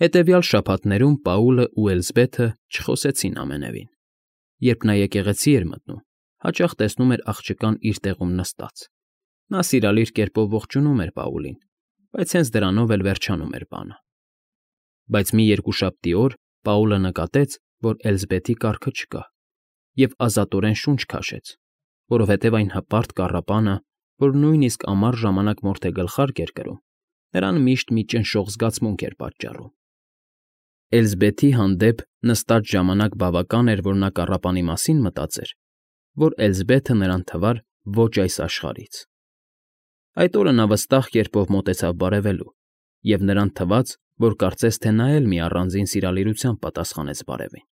Հետևյալ շաբաթներում Պաուլն ու Էլզբեթը չխոսեցին ամենևին. երբ նա եկեղեցի էր մտնում, հաճախ տեսնում էր աղջկան իր տեղում նստած. նա սիրալիր կերպով ողջունում էր Պաուլին, բայց հենց դրանով էլ վերջանում էր բանը։ Բայց մի երկուշաբթի օր Պաուլը նկատեց, որ Էլզբեթի կառքը չկա, և ազատորեն շունչ քաշեց, որովհետև այն հպարտ կառապանը, որ նույնիսկ ամառ ժամանակ մորթե գլխարկ էր կրում, նրան միշտ մի ճնշող զգացմունք էր պատճառում։ Էլզբեթի հանդեպ նստած ժամանակ բավական էր, որ նա կառապանի մասին մտածեր, որ Էլզբեթը նրան թվար ոչ այս աշխարհից։ Այդ օրը նա վստահ կերպով մոտեցավ բարևելու, և նրան թվաց, որ կարծես թե նա էլ մի առանձին սիրալիրությամբ պատասխանեց բարևին։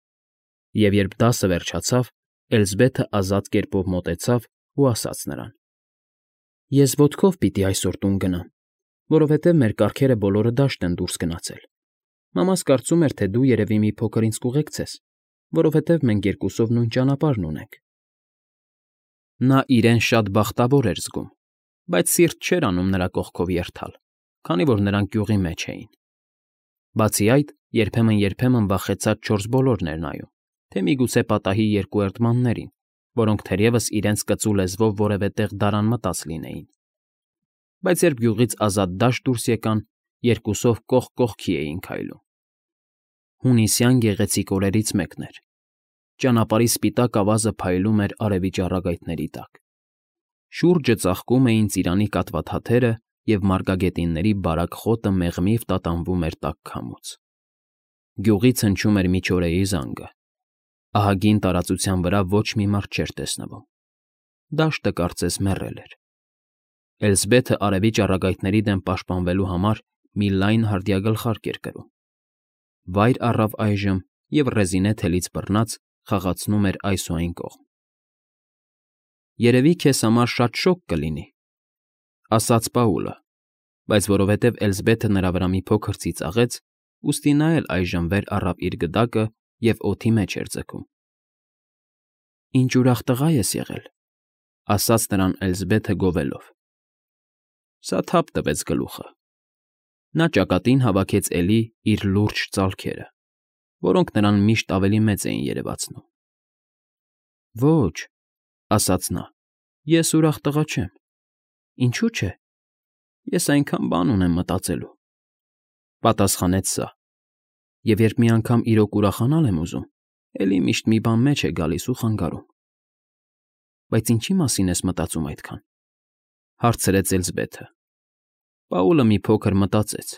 Եվ երբ դասը վերջացավ, Էլզբեթը ազատ կերպով մոտեցավ ու ասաց նրան. «Ես ոտքով պիտի այսօր տուն գնամ, որովհետև մեր կառքերը բոլորը դաշտ են դուրս գնացել։ Մամաս կարծում էր, թե դու երևի մի փոքր ինձ կուղեկցես, որովհետև մենք երկուսով նույն ճանապարհն ունենք»։ Նա իրեն շատ բախտավոր էր զգում, բայց սիրտ չէր անում նրա կողքով երթալ, քանի որ նրանք գյուղի մեջ էին։ Բացի այդ, երբեմն վախեցած չորս բոլորն էր նայում, թե միգուցե պատահի երկու էրդմաններին, որոնք թերևս իրենց կծու լեզվով որևէ տեղ դարան մտած լինեին։ Բայց երբ գյուղից ազատ դաշտ դուրս եկան, երկուսով կողք կողքի էին քայլում։ Հունիսյան գեղեցիկ օրերից մեկն էր։ Ճանապարհի սպիտակ ավազը փայլում էր արևի ճառագայթների տակ։ Շուրջը ծաղկում էին ծիրանի կաթվածաթերը, և մարգագետինների բարակ խոտը մեղմիվ տատանվում էր տաք քամուց։ Գյուղից հնչում էր միջօրեի զանգը։ Ահագին տարածության վրա ոչ մի մարդ չէր տեսնվում։ Դաշտը կարծես մեռել էր։ Էլզբեթը արևի ճառագայթների դեմ պաշտպանվելու համար մի լայն հարդյա գլխարկ էր կրում։ Վայր առավ այժմ և ռեզինե թելից բռնած խաղացնում էր այս ու այն կողմ։ «Երևի քեզ համար շատ շոգ կլինի», ասաց Պաուլը, բայց որովհետև Էլզբեթը նրա վրա մի փոքր ծիծաղեց, ուստի նա էլ այժմ վեր առավ իր գդակը և օդի մեջ էր ձգում։ «Ինչ ուրախ տղա ես եղել», ասաց նրան Էլզբեթը գովելով։ Սա թափ տվեց գլուխը։ Նա ճակատին հավաքեց էլի իր լուրջ ծալքերը, որոնք նրան միշտ ավելի մեծ էին երևացնում։ «Ոչ», ասաց նա, «ես ուրախ տղա չեմ։ Ինչու՞ չէ։ Ես այնքան բան ունեմ մտածելու», պատասխանեց սա, «և երբ մի անգամ իրոք ուրախանալ եմ ուզում, էլի միշտ մի բան մեջ է գալիս ու խանգարում»։ «Բայց ինչի՞ մասին ես մտածում այդքան», հարցրեց Էլզբեթը։ Պաուլը մի փոքր մտածեց,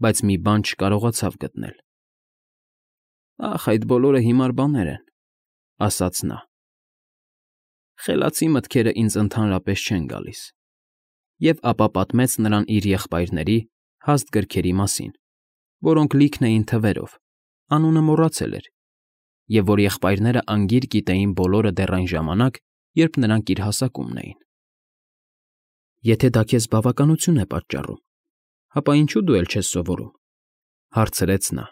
բայց մի բան չկարողացավ գտնել։ «Ախ, այդ բոլորը հիմար բաներ են», ասաց նա։ «Խելացի մտքերը ինձ ընդհանրապես չեն գալիս»։ Եվ ապա պատմեց նրան իր եղբայրների հաստ գրքերի մասին, որոնք լիքն էին թվերով, անունը մոռացել էր, և որ եղբայրները անգիր գիտեին բոլորը դեռ այն ժամանակ, երբ նրանք իր հասակումն էին։ «Եթե դա քեզ բավականություն է պատճառում, ապա ինչու դու էլ չես սովորում», հարցրեց նա։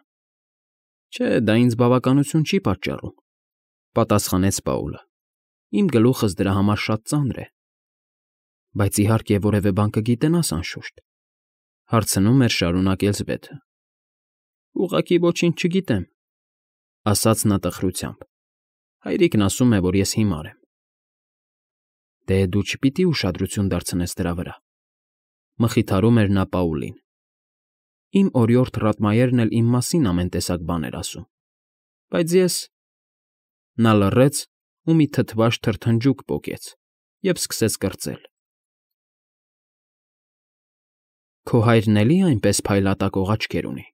«Չէ, դա ինձ բավականություն չի պատճառում», պատասխանեց Պաուլը։ «Իմ գլուխս դրա համար շատ ծանր է»։ «Բայց իհարկե որևէ բան կգիտենաս, անշուշտ», հարցնում էր շարունակ Էլզբեթը։ «Ուղղակի ոչինչ չգիտեմ», ասաց նա տխրությամբ։ «Հայրիկն ասում է, որ ես հիմար եմ»։ «Դե դու չպիտի ուշադրություն դարձնես դրա վրա», մխիթարում էր նա Պաուլին։ «Իմ օրիորդ Ռատմայերն էլ իմ մասին ամեն տեսակ բան էր ասում, բայց ես…» Նա լռեց ու մի թթված թրթնջուկ պոկեց և սկսեց կրծել։ «Քո հայրն էլի՞ այնպես փայլատակող աչքեր ունի»,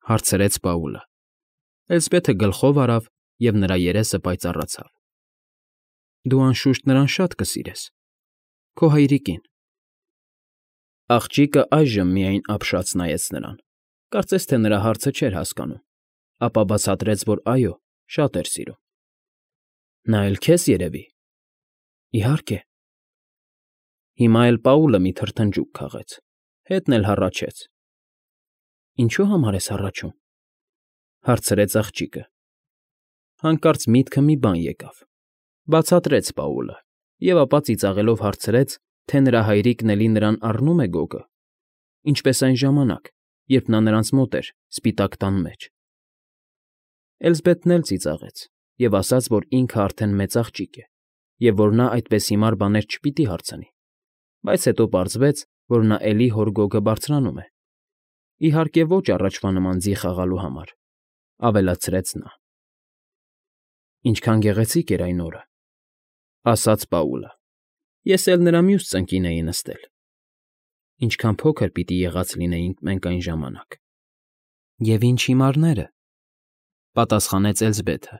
հարցրեց Պաուլը։ Էլզբեթը գլխով արավ, և նրա երեսը պայծառացավ։ «Դու, անշուշտ, նրան շատ կսիրես, քո հայրիկին»։ Աղջիկը այժմ միայն ապշած նայեց նրան, կարծես թե նրա հարցը չէր հասկանում, ապա բացատրեց, որ այո, շատ էր սիրում։ «Նա էլ քեզ, երևի»։ «Իհարկե»։ Հիմա էլ Պաուլը մի թրթնջուկ քաղեց, հետն էլ հառաչեց։ «Ինչու՞ համար ես հառաչում», հարցրեց աղջիկը։ Հանկարծ միտքը մի բան եկավ։ Բացատրեց Պաուլը, և ապա ծիծաղելով հարցրեց, թե նրա հայրիկն էլի նրան առնում է գոգը, ինչպես այն ժամանակ, երբ նա նրանց մոտ էր, սպիտակ տան մեջ։ Էլզբեթն էլ ծիծաղեց և ասաց, որ ինքը արդեն մեծ աղջիկ է և որ նա այդպես հիմար բաներ չպիտի հարցնի, բայց հետո պարզվեց, որ նա էլի հոր գոգը բարձրանում է։ Իհարկե ոչ առաջվա նման ձի խաղալու համար, ավելացրեց նա։ Ինչքան գեղեցիկ էր այն օրը, ասաց Պաուլը։ Ես էլ նրա մյուս ծնկին էի նստել։ Ինչքան փոքր պիտի եղած լինեինք մենք այն ժամանակ։ Եվ ինչ հիմարները, պատասխանեց Էլզբեթը,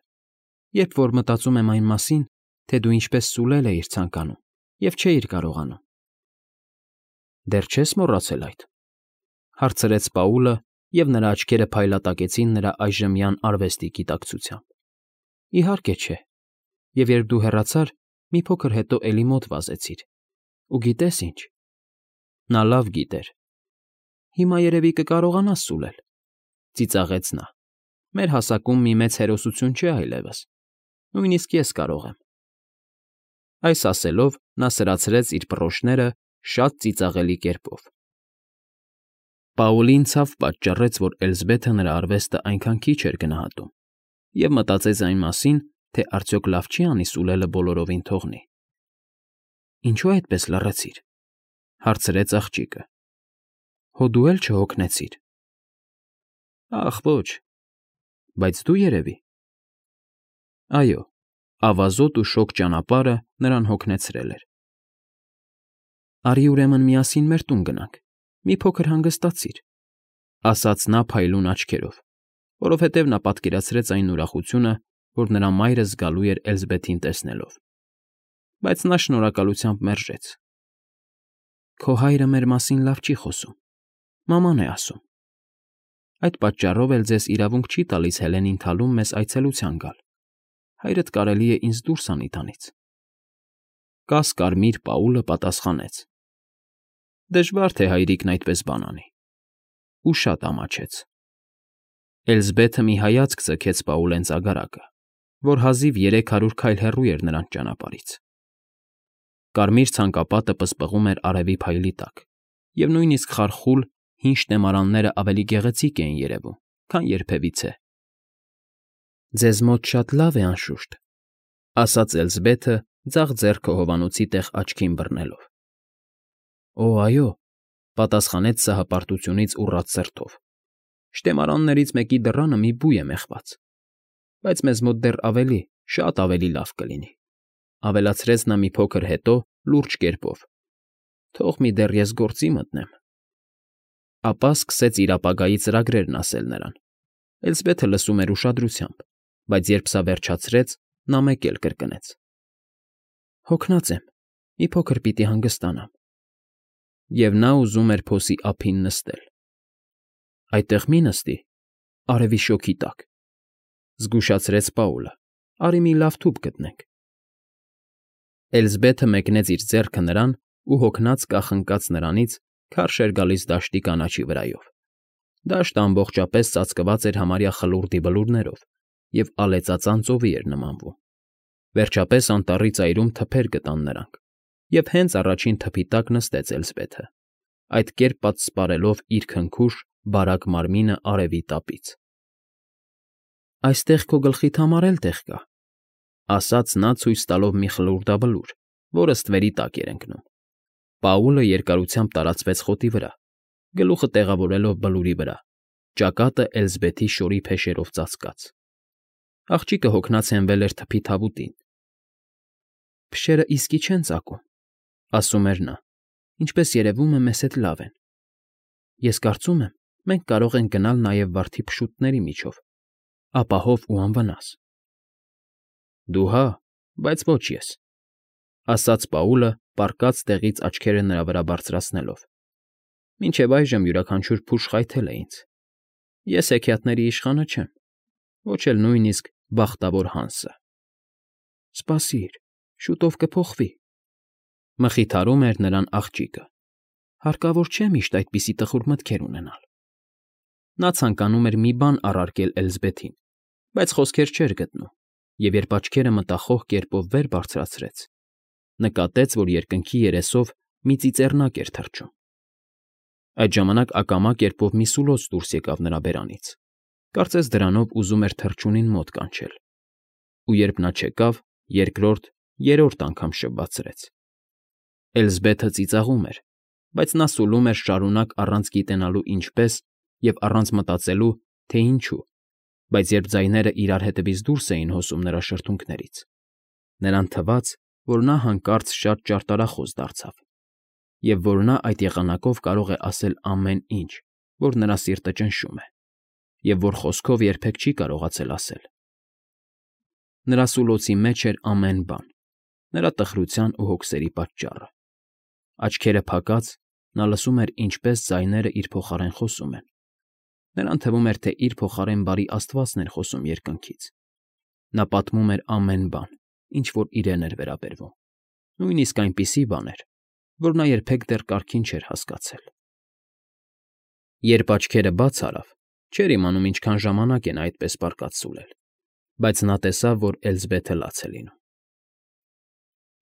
երբ որ մտածում եմ այն մասին, թե դու ինչպես սուլել էիր ցանկանում և չէիր կարողանում։ Դեռ չես մոռացել այդ, հարցրեց Պաուլը, և նրա աչքերը փայլատակեցին նրա այժմյան արվեստի գիտակցությամբ։ Իհարկե չէ, և երբ դու հեռացար, մի փոքր հետո էլի մոտ վազեցիր։ Ու գիտես ինչ։ Նա լավ գիտեր։ Հիմա երևի կկարողանաս սուլել, ծիծաղեց նա։ Մեր հասակում մի մեծ հերոսություն չէ այլևս։ Նույնիսկ ես կարող եմ։ Այս ասելով նա սրացրեց իր բռոշները շատ ծիծաղելի կերպով։ Պաուլին ցավ պատճառեց, որ Էլզբեթը նրա արվեստը այնքան քիչ էր գնահատում, և մտածեց այն մասին, թե արդյոք լավ չի անի սուլելը բոլորովին թողնի։ Ինչու այդպես լռեցիր, հարցրեց աղջիկը։ Հո դու էլ չհոգնեցիր։ Ախ, ոչ, բայց դու երևի։ Այո, ավազոտ ու շոգ ճանապարհը նրան հոգնեցրել էր։ Արի ուրեմն միասին մեր տուն գնանք, մի փոքր հանգստացիր, ասաց նա փայլուն աչքերով, որովհետև նա պատկերացրեց այն ուրախությունը, որ նրա մայրը զգալու էր Էլզբեթին տեսնելով։ Բայց նա շնորհակալությամբ մերժեց։ Քո հայրը մեր մասին լավ չի խոսում, մաման է ասում։ Այդ պատճառով էլ ձեզ իրավունք չի տալիս Հելենին թալում մեզ այցելության գալ։ Հայրդ կարելի է ինձ դուրս անի տանից։ Կաս֊կարմիր Պաուլը պատասխանեց. Դժվար թե հայրիկն այդպես բան անի։ Ու շատ ամաչեց։ Էլզբեթը մի հայացք ձգեց Պաուլեն ծագարակը, որ հազիվ 300 քայլ հեռու էր նրանց ճանապարհից։ Կարմիր ցանկապատը պսպղում էր արևի փայլի տակ, և նույնիսկ խարխուլ, հին շտեմարանները ավելի գեղեցիկ էին երևում, քան երբևիցե։ Ձեզ մոտ շատ լավ է, անշուշտ, ասաց Էլզբեթը, ձախ ձեռքը հովանոցի տեղ աչքին բռնելով։ Օ, այո, պատասխանեց սահապարտությունից ուռած սրտով։ Շտեմարաններից մեկի դռանը մի բույ է մեխված, բայց մեզ մոտ դեռ ավելի, շատ ավելի լավ կլինի, ավելացրեց նա մի փոքր հետո լուրջ կերպով։ Թող մի դեռ ես գործի մտնեմ։ Ապա սկսեց իր ապագայի ծրագրերն ասել նրան։ Էլզբեթը լսում էր ուշադրությամբ, բայց երբ սա վերջացրեց, նա մեկ էլ կրկնեց. Հոգնած եմ, մի փոքր պիտի հանգստանամ։ Եվ նա ուզում էր փոսի ափին նստել։ Այդտեղ մի նստի, արևի շոգի տակ, զգուշացրեց Պաուլը։ Արի մի լավ թուփ գտնենք։ Էլզբեթը մեկնեց իր ձեռքը նրան ու հոգնած կախնկաց նրանից քարշ էր գալիս դաշտի կանաչի վրայով։ Դաշտը ամբողջապես ծածկված էր համարյա խլուրդի բլուրներով և ալեծածան ծովի էր նմանվում։ Վերջապես անտառի ծայրում թփեր գտան նրանք, և հենց առաջին թփի տակ նստեց Էլզբեթը, այդ կերպ պատսպարելով իր քնքուշ, բարակ մարմինը արևի տապից։ Այստեղ քո գլխիդ համար էլ տեղ կա, ասաց նա ցույց տալով մի խլուրդաբլուր, որը ստվերի տակ էր ընկնում։ Պաուլը երկարությամբ տարածվեց խոտի վրա, գլուխը տեղավորելով բլուրի վրա, ճակատը Էլզբեթի շորի փեշերով ծածկած։ Աղջիկը հոգնած հենվել էր թփի թավուտին։ Փշերը իսկի չեն ծակում, ասում էր նա, ինչպես երևում է, մեզ հետ լավ են։ Ես կարծում եմ, մենք կարող ենք գնալ նաև վարդի փշուտների միջով, ապահով ու անվնաս։ Դու հա, բայց ոչ ես, ասաց Պաուլը, պառկած տեղից աչքերը նրա վրա բարձրացնելով։ Մինչև այժմ յուրաքանչյուր փուշ խայթել է ինձ։ Ես հեքիաթների իշխանը չեմ, ոչ էլ նույնիսկ բախտավոր Հանսը։ Սպասիր, շուտով կփոխվի, մխիթարում էր նրան աղջիկը։ Հարկավոր չէ միշտ այդպիսի տխուր մտքեր ունենալ։ Նա ցանկանում էր մի բան առարկել Էլզբեթին, բայց խոսքեր չէր գտնում, և երբ աչքերը մտախոհ կերպով վեր բարձրացրեց, նկատեց, որ երկնքի երեսով մի ծիծեռնակ էր թռչում։ Այդ ժամանակ ակամա կերպով մի սուլոց դուրս եկավ նրա բերանից, կարծես դրանով ուզում էր թռչունին մոտ կանչել, ու երբ նա չեկավ, երկրորդ, երրորդ անգամ շվվացրեց։ Էլզբեթը ծիծաղում էր, բայց նա սուլում էր շարունակ առանց գիտենալու ինչպես և առանց մտածելու, թե ինչու, բայց երբ ձայները իրար հետևից դուրս էին հոսում նրա շրթունքներից, նրան թվաց, որ նա հանկարծ շատ ճարտարախոս դարձավ, և որ նա այդ եղանակով կարող է ասել ամեն ինչ, որ նրա սիրտը ճնշում է, և որ խոսքով երբեք չի կարողացել ասել։ Նրա սուլոցի մեջ էր ամեն բան, նրա տխրության ու հոգսերի պատճառը։ Աչքերը փակած՝ նա լսում էր, ինչպես ձայները իր փոխարեն խոսում են։ Նրան թվում էր, թե իր փոխարեն բարի Աստվածն էր խոսում երկնքից։ Նա պատմում էր ամեն բան, ինչ որ իրեն էր վերաբերվում, նույնիսկ այնպիսի բաներ, որ նա երբեք դեռ կարգին չէր հասկացել։ Երբ աչքերը բաց արավ, չէր իմանում ինչքան ժամանակ է նա այդպես պառկած սուլել, բայց նա տեսավ, որ Էլզբեթը լաց է լինում։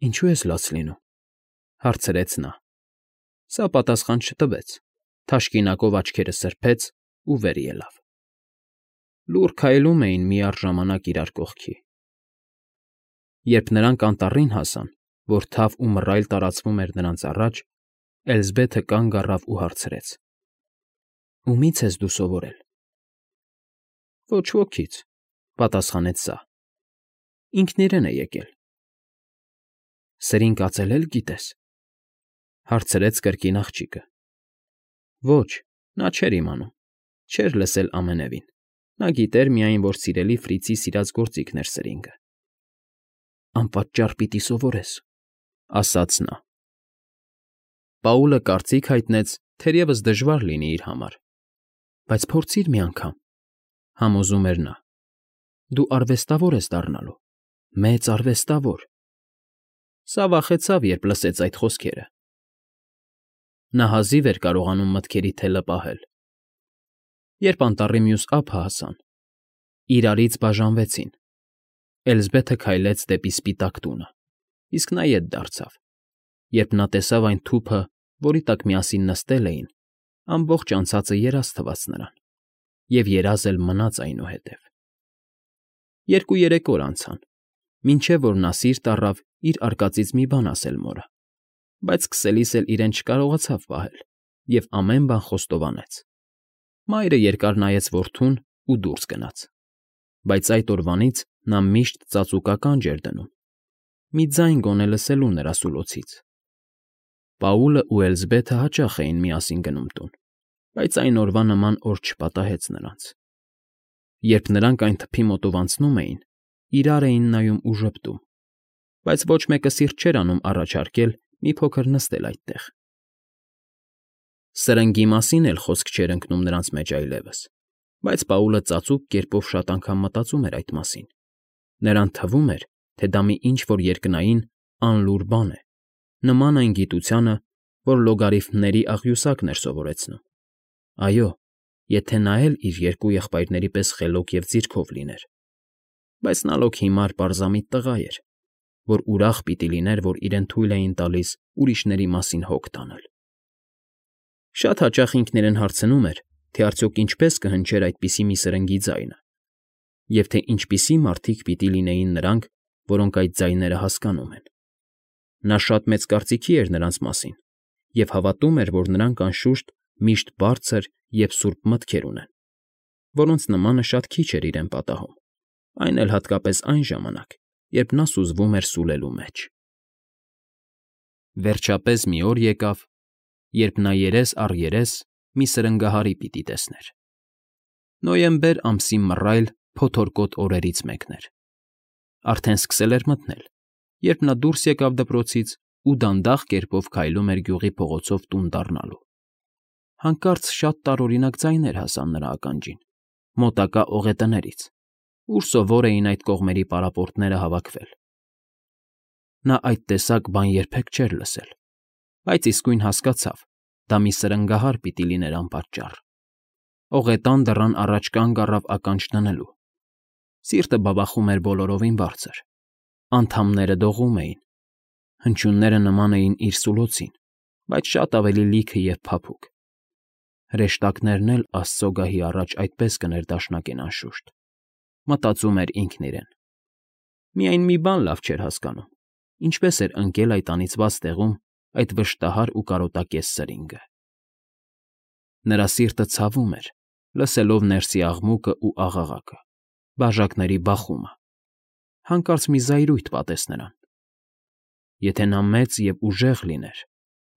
«Ինչո՞ւ ես լաց լինում,֊ հարցրեց նա։ Սա պատասխան չտվեց, թաշկինակով աչքերը սրբեց ու վեր ելավ։ Լուռ քայլում էին միառժամանակ իրար կողքի։ Երբ նրանք անտառին հասան, որ թավ ու մռայլ տարածվում էր նրանց առաջ, Էլզբեթը կանգ առավ ու հարցրեց. «Ումի՞ց ես դու սովորել»։ «Ոչ ոքից,֊ պատասխանեց սա։ Ինքն իրեն է եկել»։ «Սրին կածել գիտես,֊ հարցրեց կրկին աղջիկը։ Ոչ, նա չէր իմանում, չէր լսել ամենևին, նա գիտեր միայն, որ սիրելի Ֆրիցի սիրած գործիքն էր սրինգը։ «Անպատճառ պիտի սովորես,֊ ասաց նա։ Պաուլը կարծիք հայտնեց, թերևս դժվար լինի իր համար։ «Բայց փորձիր մի անգամ,֊ համոզում էր նա։ Դու արվեստավոր ես դառնալու, մեծ արվեստավոր»։ Սա վախեցավ, երբ լսեց այդ խոսքերը։ Նա հազիվ էր կարողանում մտքերի թելը պահել։ Երբ անտառի մյուս ափը հասան, իրարից բաժանվեցին։ Էլզբեթը քայլեց դեպի սպիտակ տունը, իսկ նա ետ դարձավ։ Երբ նա տեսավ այն թուփը, որի տակ միասին նստել էին, ամբողջ անցածը երազ թվաց նրան, և երազ էլ մնաց այնուհետև։ 2-3 օր անցան, մինչև որ նա սիրտ առավ իր արկածից մի բան ասել մորը, բայց սկսելիս էլ իրեն չկարողացավ պահել և ամեն բան խոստովանեց։ Մայրը երկար նայեց որդուն ու դուրս գնաց, բայց այդ օրվանից նա միշտ ծածուկ ականջ էր դնում, մի ձայն գոնե լսելու նրա սուլոցից։ Պաուլը ու Էլզբեթը հաճախ էին միասին գնում տուն, բայց այն օրվա նման օր չպատահեց նրանց։ Երբ նրանք այն թփի մոտով անցնում էին, իրար էին նայում ու ժպտում, բայց ոչ մեկը սիրտ չէր անում առաջարկել մի փոքր նստել այդտեղ։ Սրնգի մասին էլ խոսք չէր ընկնում նրանց մեջ այլևս, բայց Պաուլը ծածուկ կերպով շատ անգամ մտածում էր այդ մասին։ Նրան թվում էր, թե դա մի ինչ֊որ երկնային, անլուռ բան է, նման այն գիտությանը, որ լոգարիթմների աղյուսակն էր սովորեցնում։ Այո, եթե նա էլ իր երկու եղբայրների պես խելոք և ձիրքով լիներ։ Բայց նա լոկ հիմար պարզամիտ տղա էր, որ ուրախ պիտի լիներ, որ իրեն թույլ էին տալիս ուրիշների մասին հոգ տանել։ Շատ հաճախ ինքն իրեն հարցնում էր, թե արդյոք ինչպես կհնչեր այդպիսի մի սրնգի ձայնը, և թե ինչպիսի մարդիկ պիտի լինեին նրանք, որոնք այդ ձայները հասկանում են։ Նա շատ մեծ կարծիքի էր նրանց մասին և հավատում էր, որ նրանք անշուշտ միշտ բարձր և սուրբ մտքեր ունեն, որոնց նմանը շատ քիչ էր իրեն պատահում, այն էլ հատկապես այն ժամանակ, երբ նա սուզվում էր սուլելու մեջ։ Վերջապես մի օր եկավ, երբ նա երես առ երես մի սրնգահարի պիտի տեսներ։ Նոյեմբեր ամսի մռայլ, փոթորկոտ օրերից մեկն էր։ Արդեն սկսել էր մթնել, երբ նա դուրս եկավ դպրոցից ու դանդաղ կերպով քայլում էր գյուղի փողոցով տուն դառնալու։ Հանկարծ շատ տարօրինակ ձայներ հասան նրա ականջին, մոտակա օղետներից, ուր սովոր էին այդ կողմերի պարապորտները հավաքվել։ Նա այդ տեսակ բան երբեք չէր լսել, բայց իսկույն հասկացավ, դա մի սրնգահար պիտի լիներ անպատճառ։ Օղետան դռան առաջ կանգ առավ ականջ դնելու։ Սիրտը բաբախում էր բոլորովին բարձր, անդամները դողում էին, հնչյունները նման էին իր սուլոցին, բայց շատ ավելի լիքը և փափուկ։ Հրեշտակներն էլ Աստծո գահի առաջ այդպես կներդաշնակեն անշուշտ, մտածում էր ինքն իրեն։ Միայն մի բան լավ չէր հասկանում. ինչպես էր ընկել այդ անիծված տեղում այդ վշտահար ու կարոտակես սրինգը։ Նրա սիրտը ցավում էր, լսելով ներսի աղմուկը ու աղաղակը, բաժակների բախումը։ Հանկարծ մի զայրույթ պատեց նրան. եթե նա մեծ և ուժեղ լիներ,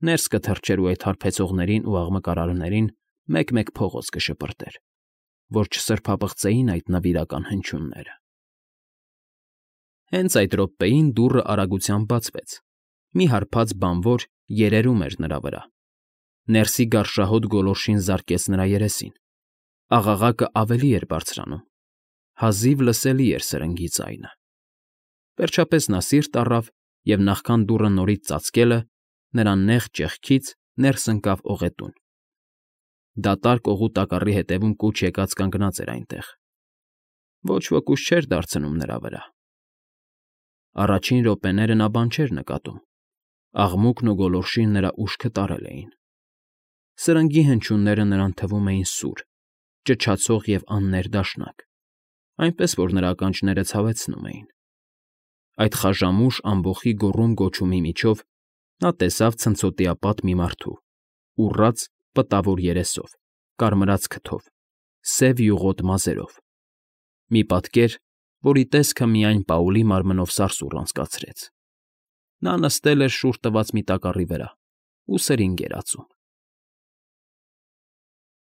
ներս կթռչեր ու այդ հարբեցողներին ու աղմկարարներին մեկ-մեկ փողոց կշպրտեր, որ չսրբապղծեին այդ նվիրական հնչյունները։ Հենց այդ րոպեին դուռը արագությամբ բացվեց։ Մի հարբած բանվոր երերում էր նրա վրա։ Ներսի գարշահոտ գոլորշին զարկեց նրա երեսին։ Աղաղակը ավելի էր բարձրանում։ Հազիվ լսելի էր սրնգի ձայնը։ Վերջապես նա սիրտ առավ և նախքան դուռը նորից ծածկելը, նրա նեղ ճեղքից ներս ընկավ օղետուն։ Դատարկ օղու տակառի ետևում կուչ եկած կանգնած էր այնտեղ։ Ոչ ոք ուժ չէր դարձնում նրա վրա։ Առաջին րոպեները նա բան չէր նկատում։ Աղմուկն ու գոլորշին նրա ուշքը տարել էին։ Սրնգի հնչյունները նրան թվում էին սուր, ճչացող և աններդաշնակ, այնպես որ նրա ականջները ցավեցնում էին։ Այդ խաժամուշ ամբոխի գոռում֊գոչումի միջով նա տեսավ ցնցոտիապատ մի մարդու՝ ուռած, պտավոր երեսով, կարմրած քթով, սև յուղոտ մազերով։ Մի պատկեր, որի տեսքը միայն Պաուլի մարմնով սարսուռ անցկացրեց։ Նա նստել էր շուռ տված մի տակառի վրա ու սրինգ էր ածում։